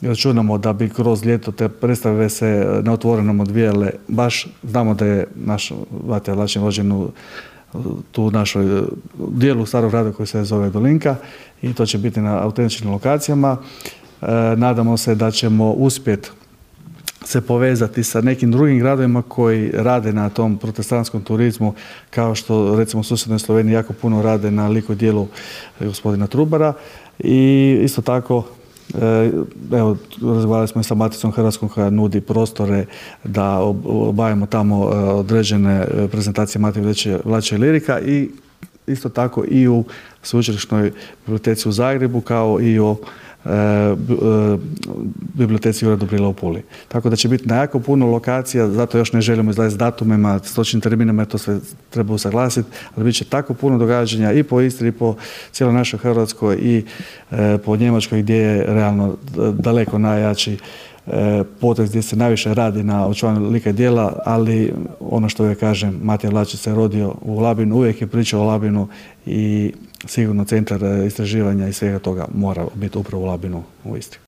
računamo da bi kroz ljeto te predstave se na otvorenom odvijale. Baš znamo da je naš Matija Lačin rođen u tu našoj dijelu Starog grada koji se zove Dolinka i to će biti na autentičnim lokacijama. Nadamo se da ćemo uspjeti se povezati sa nekim drugim gradovima koji rade na tom protestantskom turizmu, kao što recimo u susjednoj Sloveniji jako puno rade na liku i djelu gospodina Trubara. I isto tako, evo, razgovarali smo i sa Maticom Hrvatskom koja nudi prostore da obavimo tamo određene prezentacije Matije Vlače Lirika i isto tako i u Sveučilišnoj biblioteci u Zagrebu, kao i u biblioteci Jure Dobrila u Puli. Tako da će biti na jako puno lokacija, zato još ne želimo izlaziti s datumima, s točnim terminima, jer to sve treba usaglasiti, ali bit će tako puno događanja i po Istri, i po cijeloj našoj Hrvatskoj i po Njemačkoj gdje je realno daleko najjači potez gdje se najviše radi na očuvanju lika i djela, ali ono što uvijek kažem, Matija Vlačić se rodio u Labinu, uvijek je pričao o Labinu i sigurno centar istraživanja i svega toga mora biti upravo u Labinu u Istri.